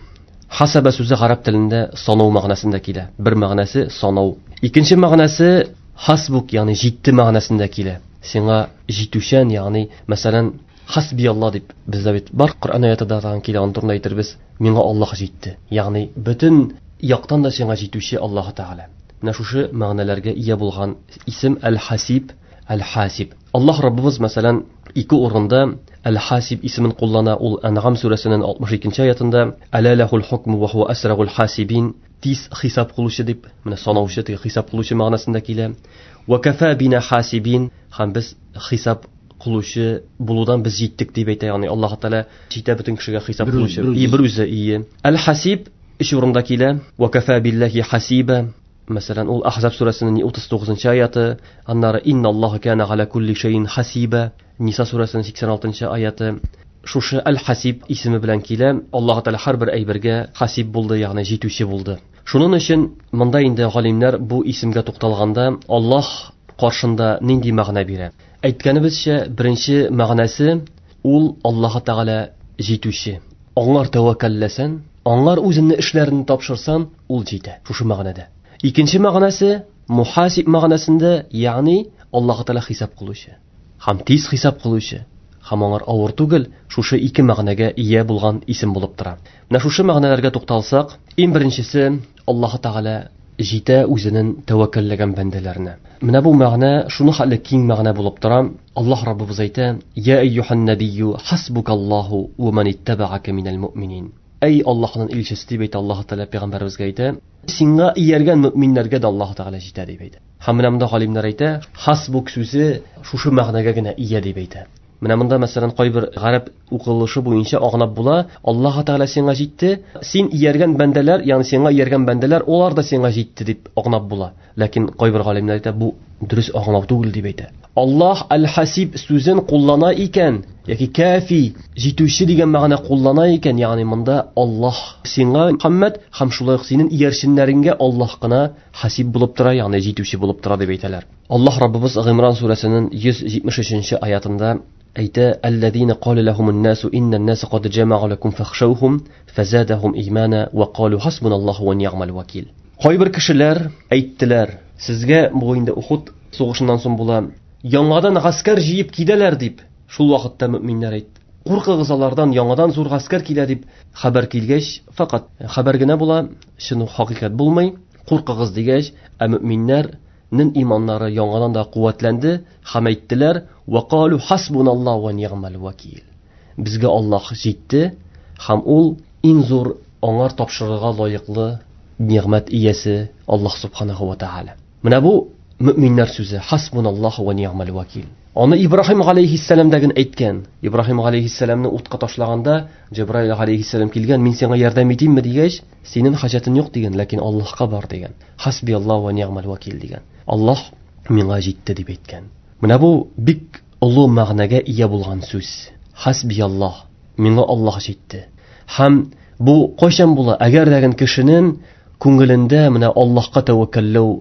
Хасаба сүзе гарәп телендә санау мәгънәсендә килә. Бер мәгънәсе санау. Икенче мәгънәсе хасбук, ягъни җитте мәгънәсендә килә. Сиңа җитүчән, ягъни мәсәлән, хасби Алла дип бездә бит бар Коръән аятында да килә, аны турында әйтербез. Миңа Аллаһ җитте. Ягъни бөтен яктан да сиңа җитүче Аллаһ Тәгалә. Менә шушы мәгънәләргә ия булган исем Әл-Хасиб, Әл-Хасиб. Аллаһ Раббыбыз мәсәлән ике урында Әл-Хасиб исемен куллана. Ул Әнгам сүрәсенең 62 аятында Әла лахул хукму ва хуа асрагул хасибин, тиз хисап кылучы дип, менә санаучы, теге хисап кылучы мәгънәсендә килә. Ва кафа бина хасибин, һәм без хисап кылучы булудан без җиттек дип әйтә, ягъни Аллаһ Тәгалә җитә бөтен кешегә хисап кылучы. И бер үзе ие. Әл-Хасиб өч урында килә. Ва кафа биллахи хасиба. Мәсәлән, ул Ахзаб сүрәсенең 39 аяты, аннары инналлаһа кана галя кулли шәйин хасиба, Ниса сүрәсенең 86 аяты. Шушы Әл-Хасиб исеме белән килә. Аллаһ Тәгалә һәрбер әйбергә хасиб булды, ягъни җитүче булды. Шуның өчен монда инде галимнәр бу исемгә тукталганда Аллаһ каршында нинди мәгънә бирә? Әйткәнебезчә, беренче мәгънәсе ул Аллаһ Тәгалә җитүче. Аңар тәвәккәлләсән, аңар үзеңне эшләрен тапшырсан, ул җитә. Шушы мәгънәдә. Икенче мәгънәсе мухасиб мәгънәсендә, ягъни Аллаһ Тәгалә хисап кылучы. Һәм тиз хисап кылучы. Һәм аңар авыр түгел, шушы ике мәгънәгә ия булган исем булып тора. Менә шушы мәгънәләргә тукталсак, иң беренчесе Аллаһ Тәгалә җитә үзенең тәвәккәлләгән бәндәләренә. Менә бу мәгънә шуны хәтле киң мәгънә булып тора. Аллаһ Раббыбыз әйтә: "Я әйюһан набийю хасбукаллаһу ва ман иттабаака минәл муъминин." Әй Аллаһның илчесе дип әйтә Аллаһ Тәгалә пәйгамбәребезгә әйтә, сиңа ияргән мөминнәргә дә Аллаһ Тәгалә җитә дип әйтә. Һәм менә монда галимнәр әйтә, хасбук сүзе шушы мәгънәгә генә ия дип әйтә. Менә монда мәсәлән кайбер гарәп укылышы буенча аңлап була, Аллаһ Тәгалә сиңа җитте, син ияргән бәндәләр, ягъни сиңа ияргән бәндәләр, алар да сиңа җитте дип аңлап була. Ләкин кайбер галимнәр әйтә, бу дөрес аңлау түгел дип әйтә. Аллаһ Әл-Хасиб сүзен куллана икән, яки кафи, җитүче дигән мәгънә куллана икән, ягъни монда Аллаһ сиңа Мөхәммәд һәм шулай ук синең иярченнәреңгә Аллаһ кына хасиб булып тора, ягъни җитүче булып тора дип әйтәләр. Аллаһ Раббыбыз Гыймран сүрәсенең 173 аятында әйтә: "Аллазина кала лахумун насу иннан наса кад джама'у лакум фахшаухум фазадахум имана ва калу хасбуналлаху ва ни'мал вакил." Кайбер кешеләр әйттеләр, сезгә бу инде Ухуд сугышыннан соң була, яңадан гаскәр җыеп киләләр дип. Шул вакытта мөминнәр әйтте: "Куркыгыз алардан, яңадан зур гаскәр килә" дип хәбәр килгәч, факат хәбәр генә була, чын хакыйкать булмый. Куркыгыз дигәч, ә мөминнәрнең иманнары яңадан да куәтләнде һәм әйттеләр: "Ва калу хасбуналлаху ва ни'мал вакил." Безгә Аллаһ җитте һәм ул иң зур аңар тапшырырга лаеклы нигъмәт иясе Аллаһ субханаху ва тааля. Менә бу мөминнәр сүзе хасбуналлаху ва ни'мал вакил. Аны Ибраһим алейхиссалам дәген әйткән. Ибраһим алейхиссаламны утка ташлаганда Җабраил алейхиссалам килгән, мин сиңа ярдәм итимме дигәч, синең хаҗәтең юк дигән, ләкин Аллаһка бар дигән. Хасбиаллаху ва ни'мал вакил дигән. Аллаһ миңа җитте дип әйткән. Менә бу бик олы мәгънәгә ия булган сүз. Хасбиаллах, миңа Аллаһ җитте. Һәм бу кайчан була? Әгәр дәген кешенең күңелендә менә Аллаһка тәвәккәлләү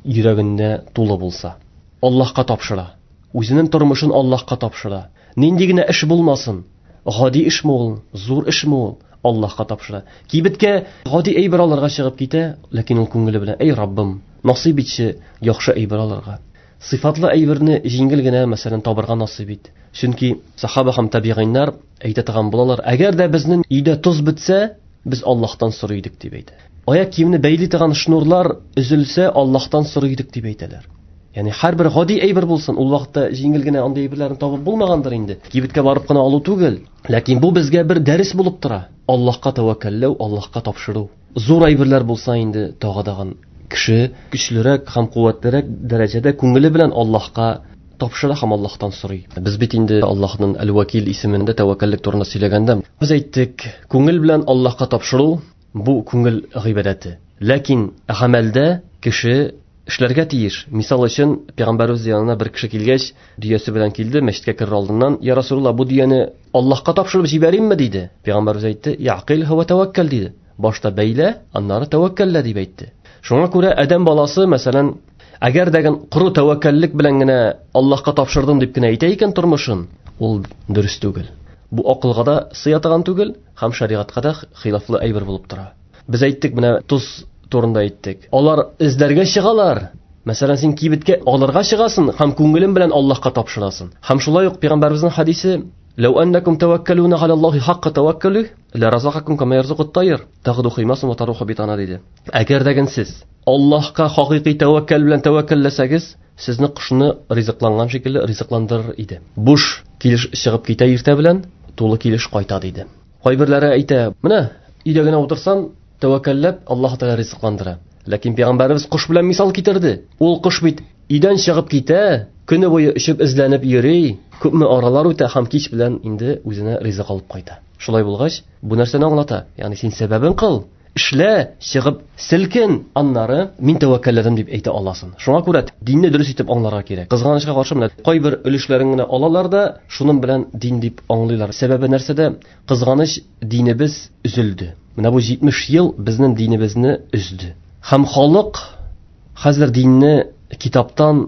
йөрәгендә тулы булса, Аллаһка тапшыра. Үзенең тормышын Аллаһка тапшыра. Нинди генә эш булмасын, гади эшме ул, зур эшме ул, Аллаһка тапшыра. Кибеткә гади әйбер алырга чыгып китә, ләкин ул күңеле белән: "Әй Раббым, насыйп итче яхшы әйбер алырга." Сыйфатлы әйберне җиңел генә, мәсәлән, табырга насыйп ит. Чөнки сахаба һәм табигыйннар әйтә торган булалар: "Әгәр дә безнең өйдә тоз бетсә, без Аллаһтан сорый идек" дип әйтә. Аяк киемне бәйли торган шнурлар өзелсә, Аллаһтан сорый идек дип әйтәләр. Ягъни һәрбер гади әйбер булсын, ул вакытта җиңел генә андый әйберләрне табып булмагандыр инде. Кибеткә барып кына алу түгел. Ләкин бу безгә бер дәрес булып тора. Аллаһка тәвәккәлләү, Аллаһка тапшыру. Зур әйберләр булса инде тагы дагын кеше көчлерәк һәм куәтлерәк дәрәҗәдә күңеле белән Аллаһка тапшыра һәм Аллаһтан сорый. Без бит инде Аллаһның Әл-Вәкил исемендә тәвәккәллек турында сөйләгәндә, без әйттек, күңел белән Аллаһка тапшыру бу күңел гыйбадәте. Ләкин гамәлдә кеше эшләргә тиеш. Мисал өчен, пәйгамбәребез янына бер кеше килгәч, дөясе белән килде, мәчеткә керер алдыннан, "Я Расулулла, бу дөяне Аллаһка тапшырып җибәримме?" диде. Пәйгамбәребез әйтте, "Яқил һәм тәвәккәл" диде. Башта бәйлә, аннары тәвәккәллә дип әйтте. Шуңа күрә адәм баласы, мәсәлән, әгәр дә коры тәвәккәллек белән генә Аллаһка тапшырдым дип кенә әйтә икән тормышын, ул дөрес түгел. Бу акылга да сыя торган түгел һәм шәригатькә дә хилафлы әйбер булып тора. Без әйттек, менә тоз турында әйттек. Алар эзләргә чыгалар. Мәсәлән, син кибеткә алырга чыгасың һәм күңелең белән Аллаһка тапшырасың. Һәм шулай ук пәйгамбәребезнең хадисе: "Ләү аннакум таваккалуна галаллаһи хакка таваккалу, ла разакакум кама ярзукут тайр, тагду химасун ва таруху битана" диде. Әгәр дә сез Аллаһка хакыйкый тәвәккәл белән тәвәккәлләсәгез, сезне кошны ризыкланган шикелле ризыкландырыр иде. Буш килеш чыгып китә иртә белән, тулы килеш кайта диде. Кайберләре әйтә, менә өйдә генә утырсаң, тәвәккәлләп Аллаһ Тәгалә ризыкландыра. Ләкин пәйгамбәребез кош белән мисал китерде. Ул кош бит өйдән чыгып китә, көне буе очып эзләнеп йөри, күпме аралар үтә һәм кич белән инде үзенә ризык алып кайта. Шулай булгач, бу нәрсәне аңлата? Ягъни син сәбәбен кыл, эшлә, чыгып селкен, аннары мин тәвәккәлләдем дип әйтә аласың. Шуңа күрә динне дөрес итеп аңларга кирәк. Кызганычка каршы, менә кайбер өлешләрен генә алалар да, шуның белән дин дип аңлыйлар. Сәбәбе нәрсәдә? Кызганыч, динебез өзелде. Менә бу 70 ел безнең динебезне өзде. Һәм халык хәзер динне китаптан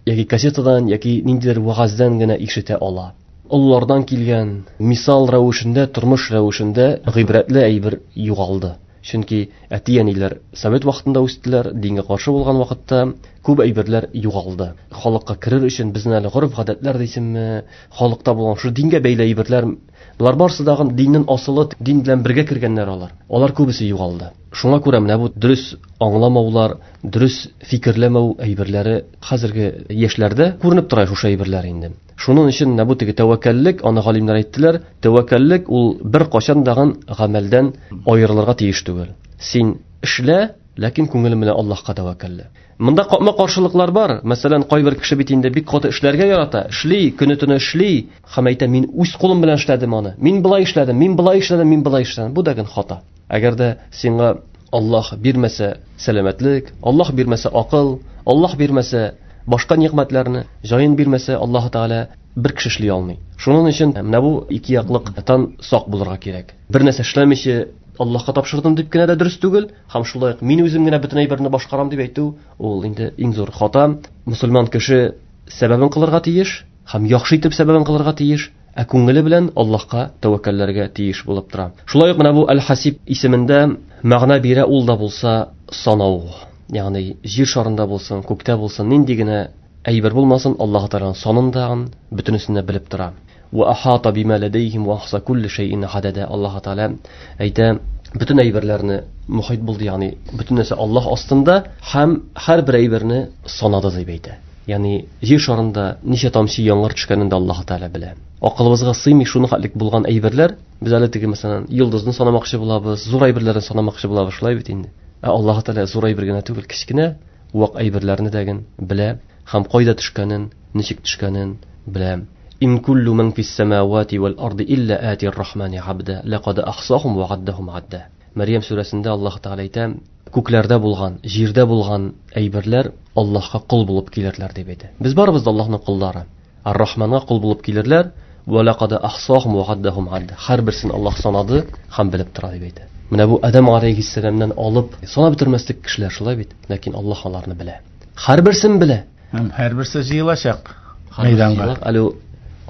яки кассетадан яки ниндидер вәгазьдән генә ишетә ала. Олылардан килгән мисал рәвешендә, тормыш рәвешендә гыйбрәтле әйбер югалды. Чөнки әти-әниләр совет вакытында үстеләр, дингә каршы булган вакытта күп әйберләр югалды. Халыкка керер өчен безнең әле гореф-гадәтләр дисеңме, халыкта булган шул дингә бәйле әйберләр, болар барысы да диннең асылы, дин белән бергә кергәннәр алар. Алар күбесе югалды. Шуңа күрә менә бу дөрес аңламаулар, дөрес фикерләмәү әйберләре хәзерге яшьләрдә күренеп тора шушы әйберләр инде. Шуның өчен менә бу теге тәвәккәллек, аны галимнәр әйттеләр, тәвәккәллек ул бер кашан дагын гамәлдән аерылырга тиеш түгел. Син эшлә, ләкин күңелең белән Аллаһка тәвәккәллә. Монда капма-каршылыклар бар. Мәсәлән, кайбер кеше бит инде бик каты эшләргә ярата, эшли, көне-төне эшли һәм әйтә, мин үз кулым белән эшләдем аны. Мин былай эшләдем, мин былай эшләдем, мин былай эшләдем. Бу дагын хата. Әгәр дә сиңа Аллаһ бирмәсә сәламәтлек, Аллаһ бирмәсә акыл, Аллаһ бирмәсә башка нигъмәтләрне, җаен бирмәсә Аллаһ Тәгалә бер кеше эшли алмый. Шуның өчен менә бу ике яклыктан сак булырга кирәк. Бер нәрсә эшләмичә Аллаһка тапшырдым дип кенә дә дөрес түгел, һәм шулай ук мин үзем генә бөтен әйберне башкарам дип әйтү, ул инде иң зур хата. Мусульман кеше сәбәбен кылырга тиеш һәм яхшы итеп сәбәбен кылырга тиеш, ә күңеле белән Аллаһка тәвәккәлләргә тиеш булып тора. Шулай ук менә бу Әл-Хасиб исемендә мәгънә бирә ул да булса санау. Ягъни җир шарында булсын, күктә булсын, нинди генә әйбер булмасын, Аллаһ Тәгаләнең санын да бөтенесен дә белеп тора. Ва ахата бима ладейхим ва ахса кулли шәйин адада. Аллаһ Тәгалә әйтә, бөтен әйберләрне мухит булды, ягъни бөтен нәрсә Аллаһ астында һәм һәрбер әйберне санады дип әйтә. Ягъни җир шарында ничә тамчы яңгыр төшкәнен дә Аллаһ Тәгалә белә. Акылыбызга сыймый шуны хәтлек булган әйберләр, без әле теге мәсәлән йолдызны санамакчы булабыз, зур әйберләрне санамакчы булабыз, шулай бит инде. Ә Аллаһ Тәгалә зур әйбер генә түгел, кечкенә вак әйберләрне дә белә һәм кайда төшкәнен, ничек төшкәнен белә. Ин куллу ман фис самавати вал арди илля ати ар-рахмани абда, лақад ахсахум ва аддахум адда. Мәрьям сүрәсендә Аллаһ Тәгалә әйтә, күкләрдә булган, җирдә булган әйберләр Аллаһка кол булып килерләр дип әйтә. Без барыбыз да Аллаһның коллары. Ар-Рахманга кол булып килерләр. Ва лақад ахсахум ва аддахум адда. Һәрберсен Аллаһ санады һәм белеп тора дип әйтә. Менә бу Адам алейһиссәламнән алып санап бетермәслек кешеләр шулай бит, ләкин Аллаһ аларны белә. Һәрберсен белә. Һәм һәрберсе җыелачак мәйданга. Әле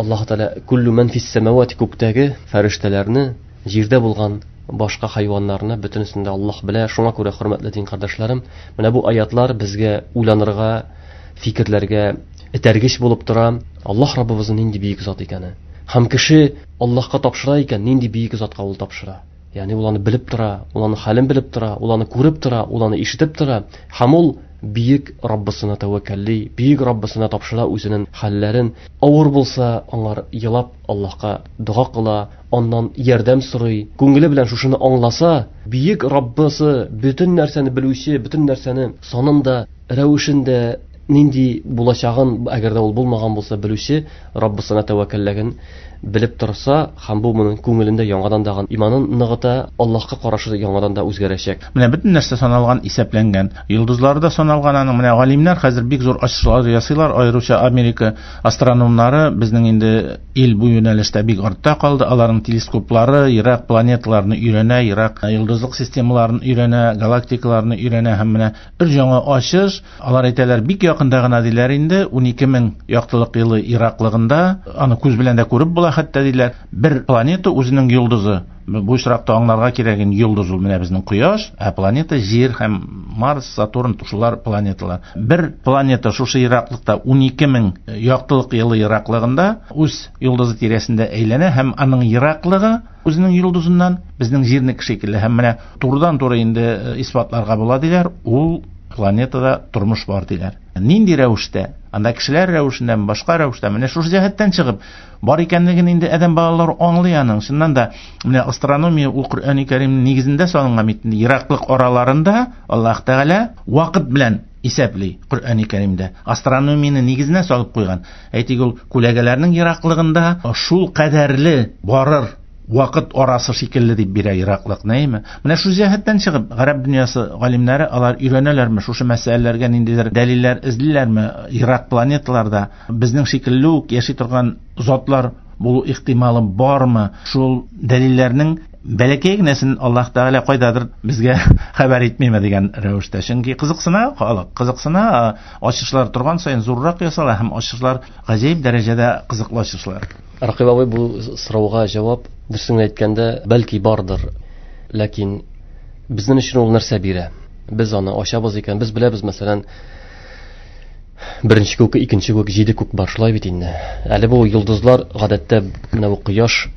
Аллаһ Тәгалә куллу ман фис самавати, күктәге фәрештәләрне, җирдә булган башка хайваннарны бөтенесен дә Аллаһ белә. Шуңа күрә, хөрмәтле дин кардәшләрем, менә бу аятлар безгә уйланырга, фикерләргә этәргеч булып тора. Аллаһ Раббыбызның нинди бөек зат икәне. Һәм кеше Аллаһка тапшыра икән, нинди бөек затка ул тапшыра. Ягъни ул аны белеп тора, ул аны хәлен белеп тора, ул аны күреп тора, ул аны ишетеп тора. Һәм ул бөек Раббысына тәвәккәлли, бөек Раббысына тапшыра үзенең хәлләрен. Авыр булса, аңар елап Аллаһка дога кыла, аннан ярдәм сорый. Күңеле белән шушыны аңласа, бөек Раббысы бөтен нәрсәне белүче, бөтен нәрсәне санын да, рәвешен дә, нинди булачагын, әгәр дә ул булмаган булса, белүче Раббысына тәвәккәллеген белеп торса, һәм бу моның күңелендә яңадан дагы иманын ныгыта, Аллаһка карашы яңадан да үзгәрәчәк. Менә бөтен нәрсә саналган, исәпләнгән. Йолдызлары да саналган аның. Менә галимнәр хәзер бик зур ачышлар ясыйлар, аеруча Америка астрономнары безнең инде ил бу юнәлештә бик артта калды. Аларның телескоплары ерак планеталарны өйрәнә, ерак йолдызлык системаларын өйрәнә, галактикаларны өйрәнә һәм менә бер яңа ачыш, алар әйтәләр, бик якында гына диләр инде, 12000 яктылык елы ераклыгында, аны күз белән дә күреп була хәтта диләр, бер планета үзенең йолдызы. Бу очракта аңларга кирәк инде, йолдыз ул менә безнең Кояш, ә планета Җир һәм Марс, Сатурн, шулар планеталар. Бер планета шушы ераклыкта 12000 яктылык елы ераклыгында үз йолдызы тирәсендә әйләнә һәм аның ераклыгы үзенең йолдызыннан безнең Җирнеке шикелле. Һәм менә турыдан-туры инде исбатларга була диләр, ул планетада тормыш бар диләр. Нинди рәвештә? Анда кешеләр рәвешендәме, башка рәвештә? Менә шушы җәһәттән чыгып, бар икәнлеген инде адәм балалары аңлый аның. Чыннан да, менә астрономия ул Коръәни Кәримнең нигезендә салынган бит. Ераклык араларында Аллаһ Тәгалә вакыт белән исәпли Коръәни Кәримдә. Астрономияне нигезенә салып куйган. Әйтик, ул күләгәләрнең ераклыгында шул кадәрле барыр вакыт арасы шикелле дип бирә ераклык, нәйме? Менә шул җәһәттән чыгып, гарәп дөньясы галимнәре алар өйрәнәләрме, шушы мәсьәләләргә ниндидер дәлилләр эзлиләрме? Ерак планеталарда безнең шикелле үк яши торган затлар булу ихтималы бармы? Шул дәлилләрнең бәләкәй генәсен Аллаһ Тәгалә кайдадыр безгә хәбәр итмиме дигән рәвештә. Чөнки кызыксына халык, кызыксына, ачышлар торган саен зуррак ясала һәм ачышлар гаҗәеп дәрәҗәдә кызыклы ачышлар. Рәкыйп абый, бу сорауга җавап дөресен әйткәндә, бәлки бардыр, ләкин безнең өчен ул нәрсә бирә? Без аны ачабыз икән, без беләбез, мәсәлән, беренче күк, икенче күк, җиде күк бар, шулай бит инде. Әле бу йолдызлар гадәттә менә бу кояш,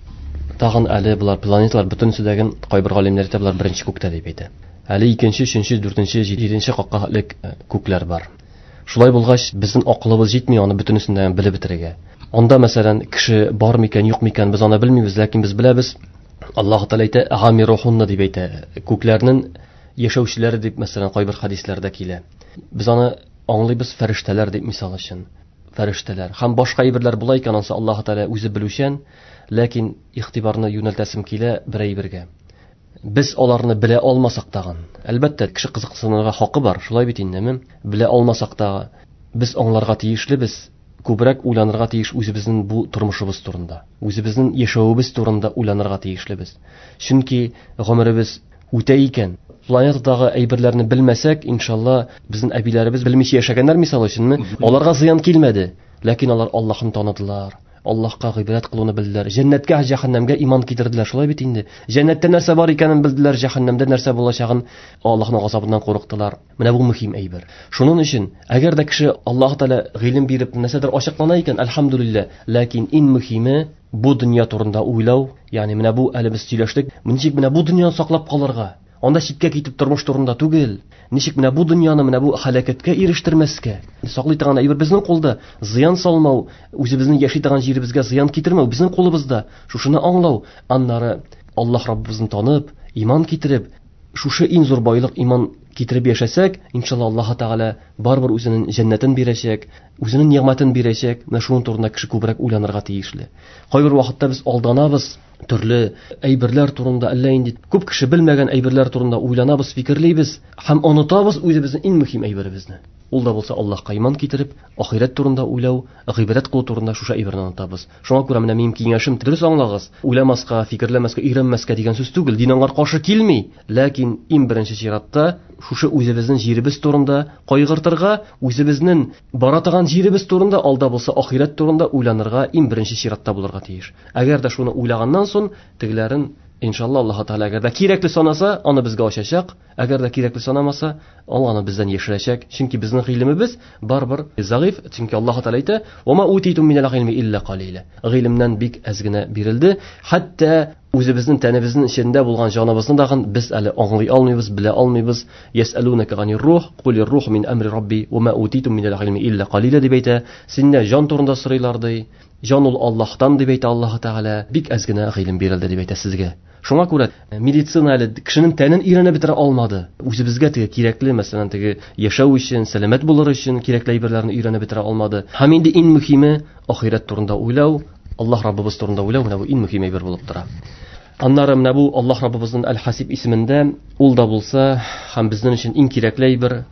тагын әле болар планеталар бөтенесе дә кайбер галимнәр әйтә, болар беренче күктә дип әйтә. Әле икенче, өченче, дүртенче, җиденче катка элек күкләр бар. Шулай булгач, безнең акылыбыз җитми аны бөтенесен дә белеп бетерергә. Анда, мәсәлән, кеше бар микән, юк микән, без аны белмибез, ләкин без беләбез. Аллаһ Тәгалә әйтә, Гамирухунна дип әйтә. Күкләрнең яшәүчеләре дип, мәсәлән, кайбер хадисләрдә килә. Без аны аңлыйбыз фәрештәләр дип, мисал өчен. Фәрештәләр. Һәм башка әйберләр була икән, ансы Аллаһ Тәгалә үзе белүчән, ләкин игътибарны юнәлтәсем килә бер әйбергә. Без аларны белә алмасак тагын. Әлбәттә, кеше кызыксынырга хакы бар, шулай бит индеме? Белә алмасак та, без аңларга тиешлебез, күбрәк уйланырга тиеш үзебезнең бу тормышыбыз турында, үзебезнең яшәвебез турында уйланырга тиешлебез. Чөнки гомеребез үтә икән, планетадагы әйберләрне белмәсәк, иншалла, безнең әбиләребез белмичә яшәгәннәр, мисал өченме? Аларга зыян килмәде, ләкин алар Аллаһны таныдылар. Аллаһка гыйбадәт кылуны белделәр. Җәннәткә, җәһәннәмгә иман китерделәр. Шулай бит инде. Җәннәттә нәрсә бар икәнен белделәр, җәһәннәмдә нәрсә булачагын, Аллаһның газабыннан курыктылар. Менә бу мөһим әйбер. Шуның өчен, әгәр дә кеше Аллаһ Тәгалә гыйлем биреп нәрсәдер ачыклана икән, әлхәмдүлилләһ, ләкин иң мөһиме бу дөнья турында уйлау, ягъни менә бу әле без сөйләштек, ничек менә бу дөньяны саклап калырга? Анда читкә китеп тормыш турында түгел. Ничек менә бу дөньяны, менә бу һәлакәткә ирештермәскә? Саклый торган әйбер безнең кулда. Зыян салмау, үзебезнең яши торган җиребезгә зыян китермәү безнең кулыбызда. Шушыны аңлау, аннары Аллаһ Раббыбызны танып, иман китереп, шушы иң зур байлык иман китереп яшәсәк, иншалла Аллаһ Тәгалә барыбер үзенең җәннәтен бирәчәк, үзенең нигъмәтен бирәчәк. Менә шуның турында кеше күбрәк уйланырга тиешле. Кайбер вакытта без алданабыз, төрле әйберләр турында, әллә инде күп кеше белмәгән әйберләр турында уйланабыз, фикерлибез һәм онытабыз үзебезнең иң мөһим әйберебезне. Ул да булса Аллаһка иман китереп, ахирәт турында уйлау, гыйбадәт кылу турында шушы әйберне онытабыз. Шуңа күрә менә минем киңәшем, дөрес аңлагыз, уйламаска, фикерләмәскә, өйрәнмәскә дигән сүз түгел, дин аңар каршы килми, ләкин иң беренче чиратта шушы үзебезнең җиребез турында кайгыртырга, үзебезнең бара торган җиребез турында, алда булса ахирәт турында уйланырга иң беренче чиратта булырга тиеш. Әгәр дә шуны уйлаганнан соң, тегеләрен иншалла Аллаһ Тәгалә әгәр дә кирәкле санаса, аны безгә ачачак, әгәр дә кирәкле санамаса, ул аны бездән яшерәчәк. Чөнки безнең гыйлемебез барыбер заиф, чөнки Аллаһ Тәгалә әйтә: "Ва ма утитум минал гыйлми илля калила". Гыйлемнән бик әз генә бирелде. Хәтта Үзебезнең тәнебезнең эчендә булган җаныбызны дагын без әле аңлый алмыйбыз, белә алмыйбыз. Ясәлунaka анир рух, кулир рух мин әмри рабби ва ма утитум минәл гыйлми илля калила дип әйтә. Синнән җан турында сорыйлар ди. Җан ул Аллаһтан дип әйтә Аллаһ Тәгалә. Бик әз генә гыйлем бирелде дип әйтә сезгә. Шуңа күрә медицина әле кешенең тәнен өйрәнеп бетерә алмады. Үзебезгә теге кирәкле, мәсәлән, теге яшәү өчен, сәламәт булыр өчен кирәкле әйберләрне өйрәнеп бетерә алмады. Һәм инде иң мөһиме ахирәт турында уйлау, Аллаһ Раббыбыз турында уйлау, менә бу иң мөһим әйбер булып тора. Аннары менә бу Аллаһ Раббыбызның Әл-Хасиб исемендә ул да булса һәм безнең өчен иң кирәкле әйбер,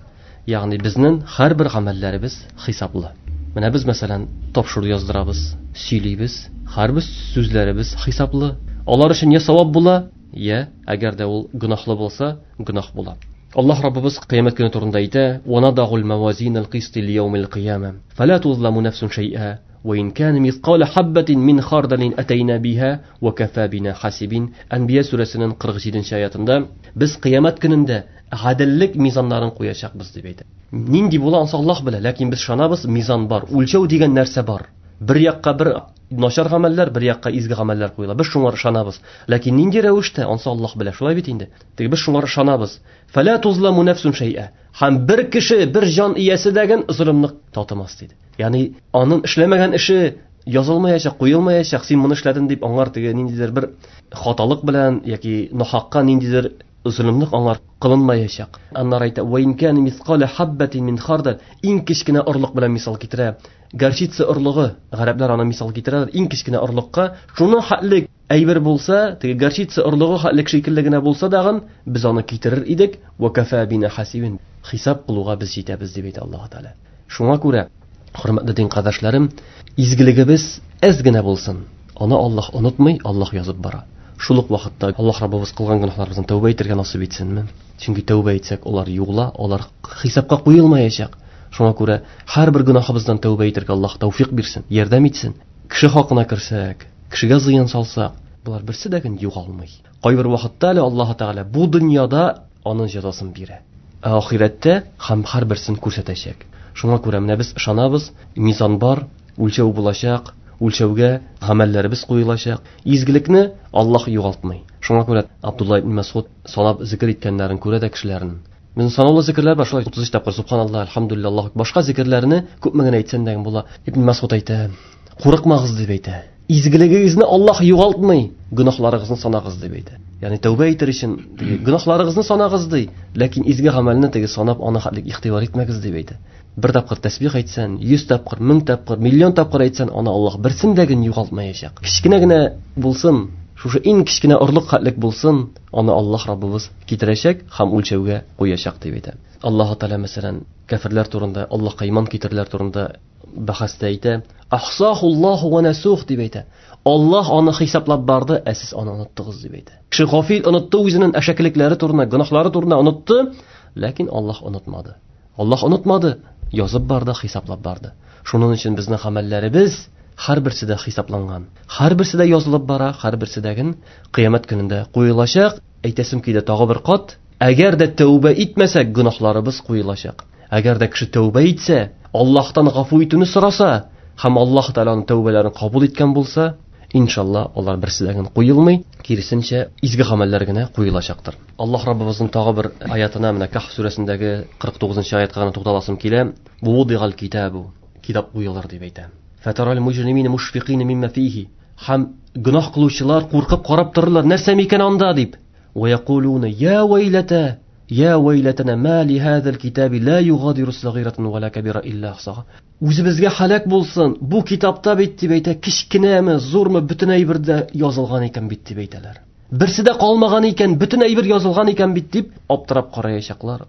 ягъни безнең һәрбер гамәлләребез хисаплы. Менә без, мәсәлән, тапшыру яздырабыз, сөйлибез, һәрбер сүзләребез хисаплы. Алар өчен я савап була, я әгәр дә ул гөнаһлы булса, гөнаһ була. Аллаһ Раббыбыз кыямәт көне турында әйтә: "Ва надагул мавазинал кисти лияумил кыяма, фала тузламу нафсун шай'a, ва ин кана мисқала хаббатин мин хардалин атайна биха ва кафа бина хасибин." Әнбия сүрәсенең 47-нче аятында без кыямәт көнендә гаделлек мизаннарын куячакбыз дип әйтә. Нинди була ансы Аллаһ белә, ләкин без ышанабыз, мизан бар, үлчәү дигән нәрсә бар. Бер якка бер начар гамәлләр, бер якка изге гамәлләр куела. Без шуңа ышанабыз. Ләкин нинди рәвештә, ансы Аллаһ белә. Шулай бит инде. Теге без шуңа ышанабыз. Фала тузламу нафсун шай'a. Һәм бер кеше, бер җан иясе дәген золымны татымас диде. Ягъни аның эшләмәгән эше язылмаячак, куелмаячак. Син моны эшләдең дип аңар теге ниндидер бер хаталык белән яки нахакка ниндидер золымлык аңар кылынмаячак. Аннары әйтә: "Ва ин кана мисқала хаббатин мин хардал." Иң кечкенә орлык белән мисал китерә. Горчица орлыгы, гарәпләр аны мисал китерәләр. Иң кечкенә орлыкка шуның хәтле әйбер булса, теге горчица орлыгы хәтле шикелле генә булса дагын, без аны китерер идек. Ва кафа бина хасибин. Хисап кылуга без җитәбез дип әйтә Аллаһ Тәгалә. Шуңа күрә, хөрмәтле дин кардәшләрем, изгелегебез әз генә булсын, аны Аллаһ онытмый, Аллаһ язып бара. Шул ук вакытта Аллаһ Раббыбыз кылган гөнаһларыбыздан тәүбә итәргә насыйп итсенме? Чөнки тәүбә итсәк, алар югла, алар хисапка куелмаячак. Шуңа күрә һәрбер гөнаһыбыздан тәүбә итәргә Аллаһ тәүфик бирсен, ярдәм итсен. Кеше хакына керсәк, кешегә зыян салсак, булар берсе дә ген югалмый. Кайбер вакытта әле Аллаһ Тәгалә бу дөньяда аның җәзасын бирә. Ә ахирәттә һәм һәрберсен күрсәтәчәк. Шуңа күрә менә без ышанабыз, мизан бар, үлчәү булачак, үлчәүгә гамәлләребез куелачак. Изгелекне Аллаһ югалтмый. Шуңа күрә Абдулла ибн Мәсгуд санап зикер иткәннәрен күрә дә кешеләрнең. Безнең санаулы зикерләр бар, шулай 33 тапкыр субханаллаһ, альхамдулиллаһ, Аллаһу акбар. Башка зикерләрне күпме генә әйтсәң дә була. Ибн Мәсгуд әйтә: "Курыкмагыз" дип әйтә. Изгелегегезне Аллаһ югалтмый, гөнаһларыгызны санагыз дип әйтә. Ягъни тәүбә итер өчен теге гөнаһларыгызны санагыз ди, ләкин изге гамәлне теге санап аны хәтлек игътибар итмәгез дип әйтә. Бер тапкыр тәсбих әйтсән, 100 тапкыр, 1000 тапкыр, миллион тапкыр әйтсән, аны Аллаһ берсен дә ген югалтмаячак. Кечкенә генә булсын, шушы иң кечкенә орлык хәтлек булсын, аны Аллаһ Раббыбыз китерәчәк һәм үлчәүгә куячак дип әйтә. Аллаһ Тәгалә, мәсәлән, кәферләр турында, Аллаһка иман китерүләр турында бәхәстә әйтә: "Ахсахуллаһу ва насух" дип әйтә. Аллаһ аны хисаплап барды, ә сез аны оныттыгыз дип әйтә. Кеше гафил онытты үзенең әшәкелекләре турында, гөнаһлары турында онытты, ләкин Аллаһ онытмады. Аллаһ онытмады, язып барды, хисаплап барды. Шуның өчен безнең гамәлләребез һәрберсе дә хисапланган. Һәрберсе дә язылып бара, һәрберсе дә ген кыямәт көнендә куелачак. Әйтәсем килә тагы бер кат, әгәр дә тәүбә итмәсәк, гөнаһларыбыз куелачак. Әгәр дә кеше тәүбә итсә, Аллаһтан гафу итүне сораса һәм Аллаһ Тәгаләнең тәүбәләрен кабул иткән булса, иншалла, алар берсе дә ген куелмый, киресенчә, изге гамәлләр генә куелачактыр. Аллаһ Раббыбызның тагы бер аятына, менә Каһф сүрәсендәге 49-нчы аятка гына тукталасым килә. Вудигал китабу, китап куелыр дип әйтә. Фатарал муҗримина мушфикина мимма фихи. Һәм гөнаһ кылучылар куркып карап торырлар, нәрсә микән анда дип. Ва якулуна я вайлата, я вайлатана ма ли хазал китаби ла югадиру сагиратан ва ла кабира илля ахсаха. Үзебезгә һәлак булсын, бу китапта бит дип әйтә, кечкенәме, зурмы, бөтен әйбер дә язылган икән бит дип әйтәләр. Берсе дә калмаган икән, бөтен әйбер язылган икән бит дип аптырап караячаклар.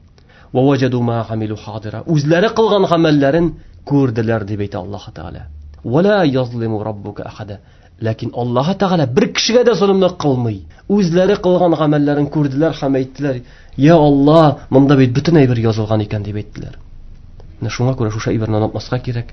Ва ваҗаду ма амилу хадира. Үзләре кылган гамәлләрен күрделәр дип әйтә Аллаһ Тәгалә. Ва ла язлиму раббука ахада. Ләкин Аллаһ Тәгалә бер кешегә дә золымлык кылмый. Үзләре кылган гамәлләрен күрделәр һәм әйттеләр: "Я Аллаһ, монда бит бөтен әйбер язылган икән" дип әйттеләр. Менә шуңа күрә шушы әйберне онытмаска кирәк.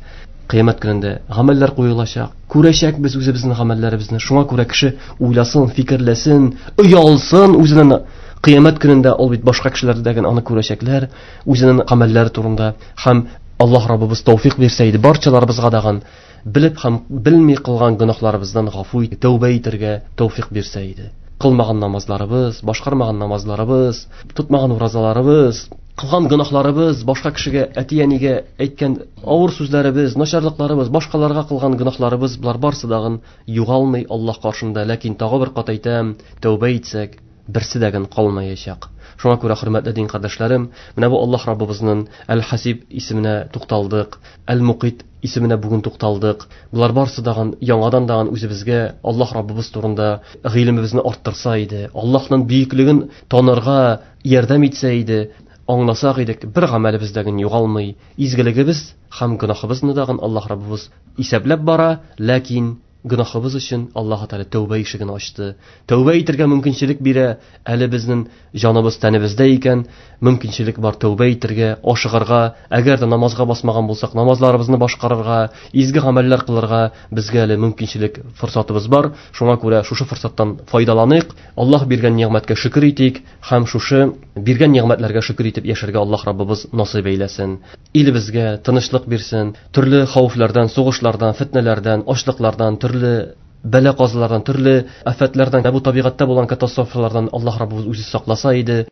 Кыямәт көнендә гамәлләр куелачак. Күрәчәк без үзебезнең гамәлләребезне. Шуңа күрә кеше уйласын, фикерләсен, оялсын үзенең кыямәт көнендә, ул бит башка кешеләрдәген аны күрәчәкләр, үзенең гамәлләре турында. Һәм Аллаһ Раббыбыз тәүфик бирсә иде барчаларыбызга дагын Белеп һәм белми кылган гөнаһларыбыздан гафу итеп, тәүбә итәргә тәүфик бирсә иде. Кылмаган намазларыбыз, башкармаган намазларыбыз, тотмаган уразаларыбыз, кылган гөнаһларыбыз, башка кешегә, әти-әнигә әйткән авыр сүзләребез, начарлыкларыбыз, башкаларга кылган гөнаһларыбыз, болар барысы дагын югалмый Аллаһ каршында. Ләкин тагы бер кат әйтәм, тәүбә итсәк, берсе дә калмаячак. Шуңа күрә, хөрмәтле дин кардәшләрем, менә бу Аллаһ Раббыбызның Әл-Хасиб исеменә тукталдык, Әл-Мукит исеменә бүген тукталдык. Болар барысы дагын яңадан дагын үзебезгә Аллаһ Раббыбыз турында гыйлемебезне арттырса иде, Аллаһның бөеклеген танырга ярдәм итсә иде, аңласак идек, бер гамәлебез дә югалмый, изгелегебез һәм гөнаһыбызны дагын Аллаһ Раббыбыз исәпләп бара, ләкин гөнаһыбыз өчен Аллаһ Тәгалә тәүбә ишеген ачты. Тәүбә итәргә мөмкинчелек бирә. Әле безнең җаныбыз тәнебездә икән, мөмкинчелек бар тәүбә итәргә, ашыгырга. Әгәр дә намазга басмаган булсак, намазларыбызны башкарырга, изге гамәлләр кылырга безгә әле мөмкинчелек, форсатыбыз бар. Шуңа күрә шушы форсаттан файдаланыйк. Аллаһ биргән нигъмәткә шөкер итик һәм шушы биргән нигъмәтләргә шөкер итеп яшәргә Аллаһ Раббыбыз насыйп әйләсен. Илебезгә тынычлык бирсен, төрле хәвефләрдән, сугышлардан, фетнәләрдән, ачлыклардан, төрле бәла-казалардан, төрле афәтләрдән, бу табигатьтә булган катастрофалардан Аллаһ Раббыбыз үзе сакласа иде.